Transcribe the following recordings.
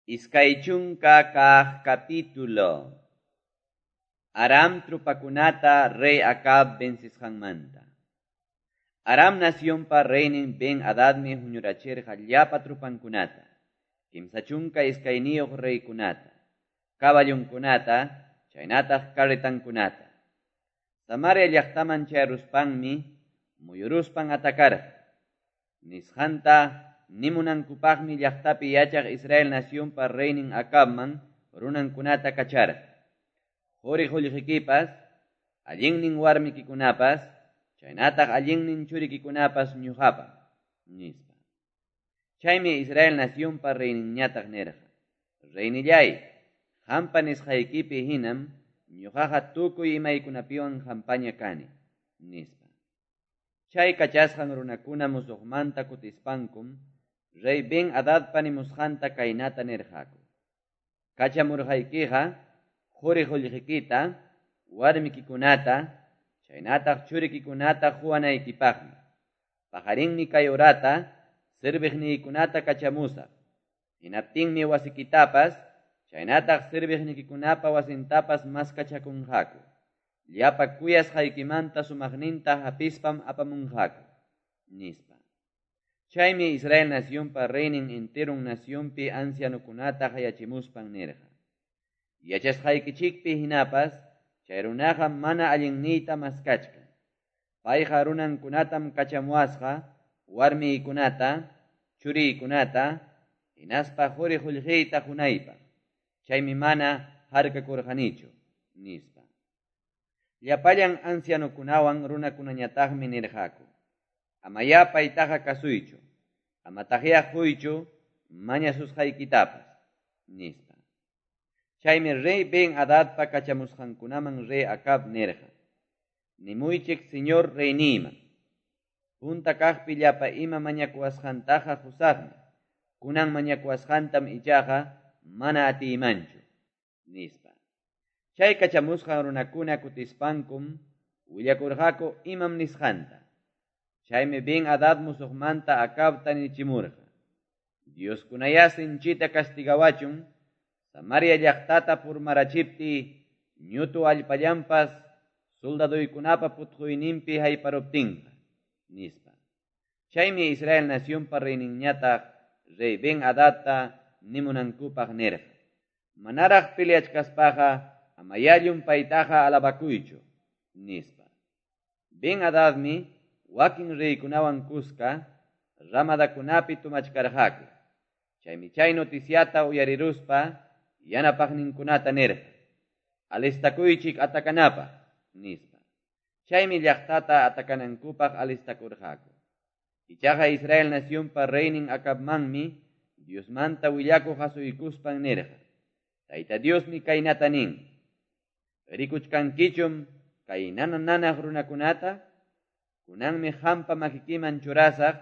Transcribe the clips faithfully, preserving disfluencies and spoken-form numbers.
Iskay chunka kaq capítulo. Aram tropakunata rey Acab vencisqanmanta. Aram nacionpa reynin Ben-Hadadmi huñurachirqa llapa tropankunata, kimsa chunka iskayniyuq reykunata, caballonkunata, chaynataq carretankunata. Samaria llaqtaman chayaruspanmi muyuruspan atakarqa. Nisqanta nimunankupaqmi llaqtapi yachaq Israel nacionpa reynin Acabman runankunata kacharqa. Quri qullqikipas, allinnin warmikikunapas, chaynataq allinnin churikikunapas ñuqapam, nispa. Chaymi Israel nacionpa reyninñataq nirqa: Reynillay, qampa nisqaykipi hinam ñuqaqa tukuy imaykunapiwan qampaña kani, nispa. Chay kachasqan runakuna musuqmanta kutispankum, rey Ben-Hadadpa nimusqanta kaynata nirqaku: Kachamurqaykiqa quri qullqikita, warmikikunata, chaynataq churikikunata quwanaykipaqmi. Paqarinmi kay horata serviqniykunata kachamusaq. Hinaptinmi wasikitapas, chaynataq serviqnikikunapa wasintapas maskachakunqaku. Llapa kuyasqaykimanta sumaqninta hapispam apamunqaku, nispa. Chaymi Israel nacionpa reynin enteron nacionpi ancianokunata qayachimuspan nirqa: Yachasqaykichikpi hinapas, chay runaqa mana allinniyta maskachkan. Payqa runankunatam kachamuwasqa, warmiykunata, churiykunata, hinaspa quri qullqiyta qunaypaq. Chaymi mana harkakurqanichu, nispa. Llapallan ancianokunawan runakunañataqmi nirqaku: Amayá paytaqa kasuychu, amataqyá quychu mañasusqaykitapas, nispa. Chaymi rey Ben-Hadadpa kachamusqankunaman rey Acab nirqa: Nimuychik señor reyniyman, punta kaqpi llapa ima mañakuwasqantaqa qusaqmi, kunan mañakuwasqantam ichaqa mana atiymanchu, nispa. Chay kachamusqan runakuna kutispankum willakurqaku imam nisqanta. Chaymi Ben-Hadad musuqmanta Acabta nichimurqa: Dioskunayá sinchita castigawachun, Samaria llaqtata purmarachipti ñutu allpallanpas soldaduykunapa putquyninpi hayparuptinqa, nispa. Chaymi Israel nacionpa reyninñataq rey Ben-Hadadta nimunankupaq nirqa: Manaraq peleachkaspaqa amayá llumpaytaqa alabakuychu, nispa. Ben-Hadadmi wakin reykunawan kuska ramadakunapi tumachkarqaku. Chaymi chay noticiata uyariruspa yanapaqninkunata nirqa: Alistakuychik atakanapaq, nispa. Chaymi llaqtata atakanankupaq alistakurqaku. Ichaqa Israel nacionpa reynin Acabmanmi Diosmanta willakuq asuykuspan nirqa: Tayta Diosmi kaynata nin: Rikuchkankichum kay nana nanaq runakunata? Kunanmi qampa makikiman churasaq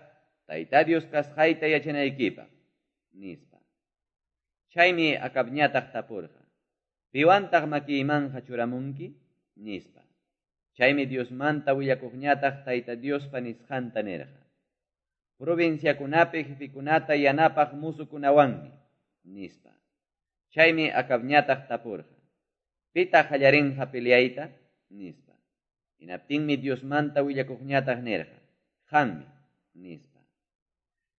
Tayta Dios kasqayta yachanaykipaq, nispa. Chaymi Acabñataq tapurqa: Piwantaq makiymanqa churamunki? Nispa. Chaymi Diosmanta willakuqñataq Tayta Diospa nisqanta nirqa: Provinciakunapi jefikunata yanapaq musukunawanmi, nispa. Chaymi Acabñataq tapurqa: Pitaq qallarinqa peleayta? Nispa. Hinaptinmi Diosmanta willakuqñataq nirqa: Qanmi, nispa.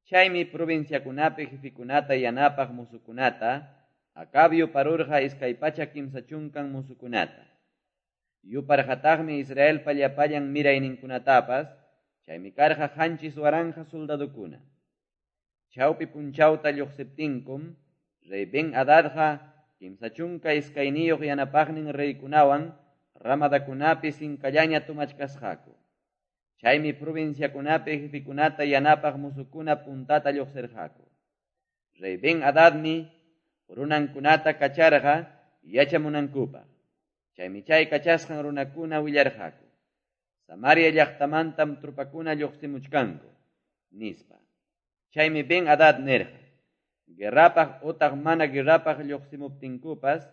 Chaymi provinciakunapi jefikunata yanapaq musukunata Acab yuparurqa iskay pachak kimsa chunkan musukunata. Yuparqataqmi Israelpa llapallan mirayninkunatapas, chaymi karqa qanchis waranqa soldadukuna. Chawpi punchawta lluqsiptinkum, rey Ben-Hadadqa kimsa chunka iskayniyuq yanapaqnin reykunawan ramadakunapi sinkallaña tumachkasqaku. Chaymi provinciakunapi jefikunata yanapaq musukuna puntata lluqsirqaku. Rey Ben-Hadadmi runankunata kacharqa yachamunankupaq. Chaymi chay kachasqan runakuna willarqaku: Samaria llaqtamantam tropakuna lluqsimuchkanku, nispa. Chaymi Ben-Hadad nirqa: Guerrapaq utaq mana guerrapaq lluqsimuptinkupas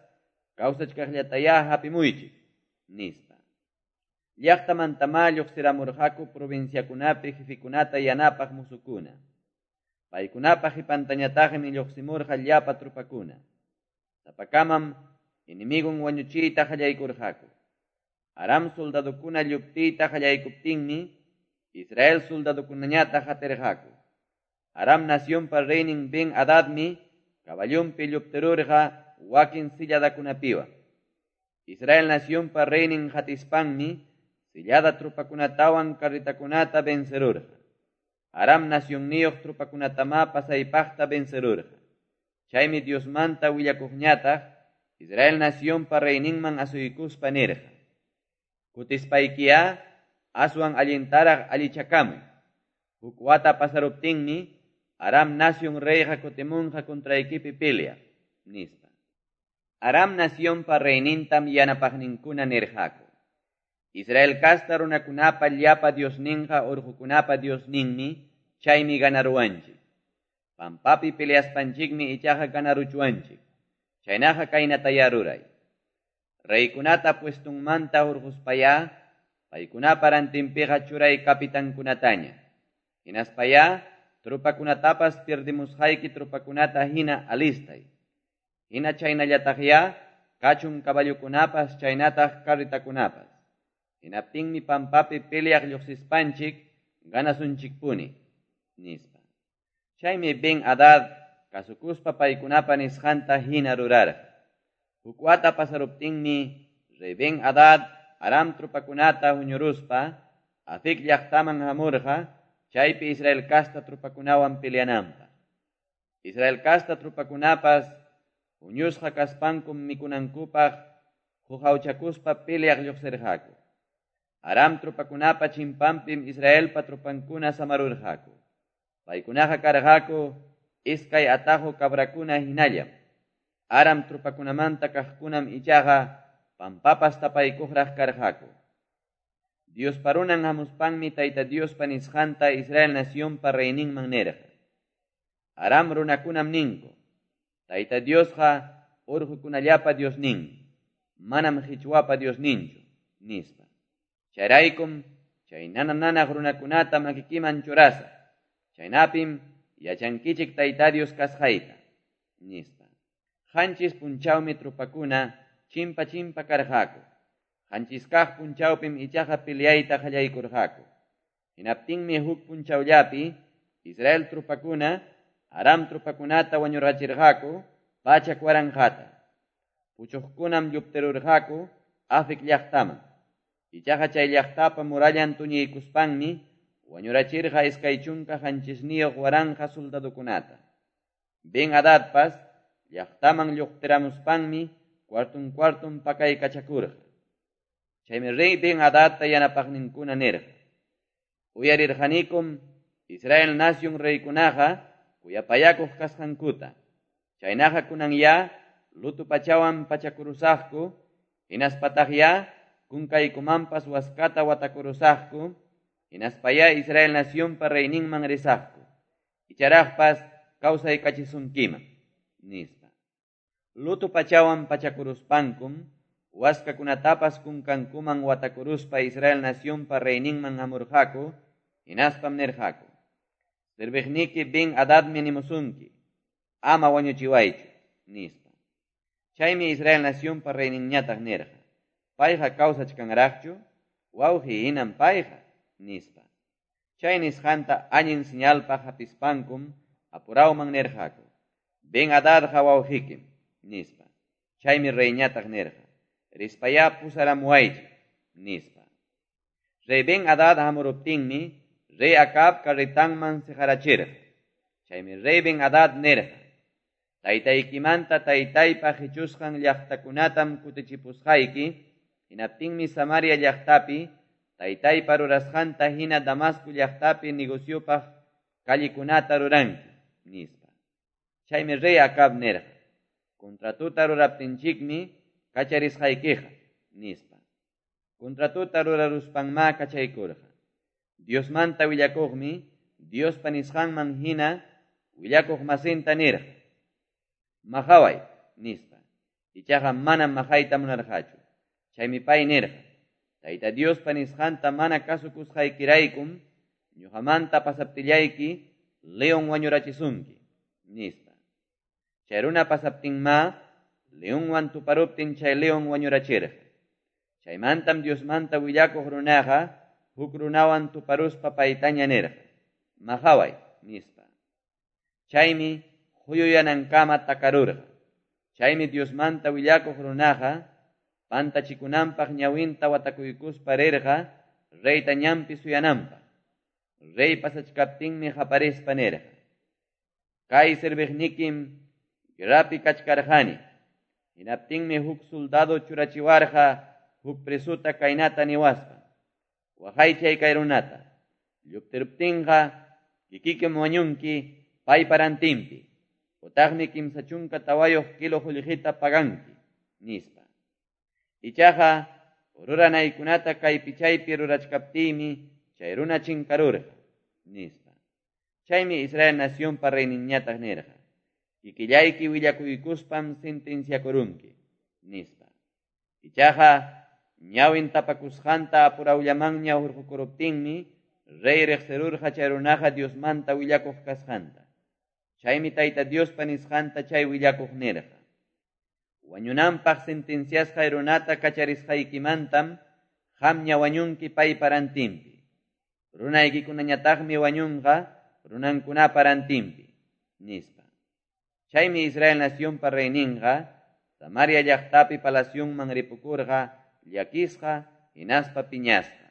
kawsachkaqllatayá hapimuychik, nispa. Llaqtamantamá lluqsiramurqaku provinciakunapi jefikunata yanapaq musukuna. Paykunapa qipantañataqmi lluqsimurqa llapa tropakuna. Sapakamam enemigon wañuchiyta qallaykurqaku. Aram soldadokuna lluptiyta qallaykuptinmi Israel soldadokunañataq qatirqaku. Aram nacionpa reynin Ben-Hadadmi caballonpi lluptirurqa wakin silladakunapiwan. Israel nacionpa reynin qatispanmi sillada tropakunatawan carretakunata vencerurqa. Aram nacionniyuq tropakunatamá pasaypaqta vencerurqa. Chaymi Diosmanta willakuqñataq Israel nacionpa reyninman asuykuspa nirqa: Kutispaykiya aswan allintaraq allichakamuy. Huk wata pasaruptinmi Aram nacion reyqa kutimunqa contraykipi peleaq, nispa. Aram nacionpa reynintam yanapaqninkuna nirqaku: Israel casta runakunapa llapa diosninqa urqukunapa diosninmi, chaymi ganaruwanchik. Pampapi peleaspanchikmi ichaqa ganaruchuwanchik. Chaynaqa kaynataya ruray. Reykunata puestunmanta hurquspaya, paykunapa rantinpiqa churay kapitankunataña. Hinaspaya, tropakunatapas pierdimusqayki tropakunata hina alistay. Hina chaynallataqya, kachun caballokunapas chaynataq carretakunapas. Hinaptinmi pampapi peleaq lluqsispanchik ganasunchikpuni, nispa. Chaymi Ben-Hadad kasukuspa paykunapa nisqanta hina rurarqa. Huk wata pasaruptinmi rey Ben-Hadad Aram tropakunata huñuruspa Afec llaqtaman hamurqa chaypi Israel casta tropakunawan peleananpaq. Israel casta tropakunapas huñusqa kaspankum mikunankupaq huqawchakuspa peleaq lluqsirqaku. Aram tropakunapa chimpanpim Israelpa tropankuna samarurqaku. Paykunaqa karqaku iskay atajo cabrakuna hinallam. Aram tropakunamanta kaqkunam ichaqa pampapas tapaykuqraq karqaku. Diospa runan hamuspanmi Tayta Diospa nisqanta Israel nacionpa reyninman nirqa: Aram runakunam ninku, Tayta Diosqa urqukunallapa Diosninmi, manam qichwapa Diosninchu, nispa. Chayraykum chay nana-nanaq runakunata makikiman churasaq. Chaynapim yachankichik Tayta Dios kasqayta, nispa. Qanchis punchawmi tropakuna chimpa chimpa karqaku. Qanchis kaq punchawpim ichaqa peleayta qallaykurqaku. Hinaptinmi huk punchawllapi Israel tropakuna Aram tropakunata wañurachirqaku pachak waranqata. Puchuqkunam lluptirurqaku Afec llaqtaman. Ichaqa chay llaqtapa murallan tuñiykuspanmi wañurachirqa iskay chunka qanchisniyuq waranqa soldadokunata. Ben-Hadadpas llaqtaman lluqtiramuspanmi cuartun cuartun pakaykachakurqa. Chaymi rey Ben-Hadadta yanapaqninkuna nirqa: Uyarirqanikum Israel nacion reykunaqa kuyapayakuq kasqankuta. Chaynaqa kunanya luto pachawan pachakurusaqku, hinaspataqya kunkaykumanpas waskata watakurusaqku, hinaspaya Israel nacionpa reyninman risaqku. Icharaqpas kawsaykachisunkiman, nispa. Luto pachawan pachakuruspankum waskakunatapas kunkankuman watakuruspa Israel nacionpa reyninman hamurqaku, hinaspam nirqaku: Serviqniki Ben-Hadadmi nimusunki, ama wañuchiwaychu, nispa. Chaymi Israel nacionpa reyninñataq nirqa: Payqa kawsachkanraqchu, wawqi hinam payqa, nispa. Chay nisqanta allin señalpaq hapispankum apurawman nirqaku: Ben-Hadadqa wawqikim, nispa. Chaymi reyñataq nirqa: Rispaya pusaramuwaychik, nispa. Rey Ben-Hadad hamuruptinmi rey Acab carretanman siqarachirqa. Chaymi rey Ben-Hadad nirqa: Taytaykimanta taytaypa qichusqan llaqtakunatam kutichipusqayki, hinaptinmi Samaria llaqtapi taytaypa rurasqanta hina Damasco llaqtapi negociopaq callekunata ruranki, nispa. Chaymi rey Acab nirqa: Contratuta ruraptinchikmi kacharisqaykiqa, nispa. Contratuta ruraruspanmá kachaykurqa. Diosmanta willakuqmi Diospa nisqanman hina willakuq masinta nirqa: Maqaway, nispa. Ichaqa manam maqayta munarqachu. Chaymi pay nirqa: Tayta Diospa nisqanta mana kasukusqaykiraykum ñuqamanta pasaptillayki leon wañurachisunki, nispa. Chay runa pasaptinmá, leonwan tuparuptin chay leon wañurachirqa. Chaymantam Diosmanta willakuq runaqa huk runawan tuparuspa paytaña nirqa, maqaway, nispa. Chaymi huyuyanankama takarurqa. Chaymi Diosmanta willakuq runaqa pantachikunanpaq ñawinta watakuykuspa rirqa reyta ñanpi suyananpaq. Rey pasachkaptinmi qaparispa nirqa, kay serviqnikim guerrapi kachkarqani. Hinaptinmi huk soldado churachiwarqa huk presuta kaynata niwaspa, waqaychay kay runata. Lluptiruptinqa kikikim wañunki paypa rantinpi, utaqmi kimsa chunka tawayuq kilo qullqita paganki, nispa. Ichaqa ruranaykunata kaypi chaypi rurachkaptiymi chay runa chinkarurqa, nispa. Chaymi Israel nacionpa reyninñataq nirqa, kikillayki willakuykuspam sentenciakurunki, nispa. Ichaqa ñawin tapakusqanta apurawllamanña hurqukuruptinmi rey riqsirurqa chay runaqa Diosmanta willakuq kasqanta. Chaymi Tayta Diospa nisqanta chay willakuq nirqa, wañunanpaq sentenciasqay runata kacharisqaykimantam qamña wañunki paypa rantinpi. Runaykikunañataqmi wañunqa runankunapa rantinpi, nispa. Chaymi Israel nacionpa reyninqa Samaria llaqtapi palacionman ripukurqa llakisqa hinaspa piñasqa.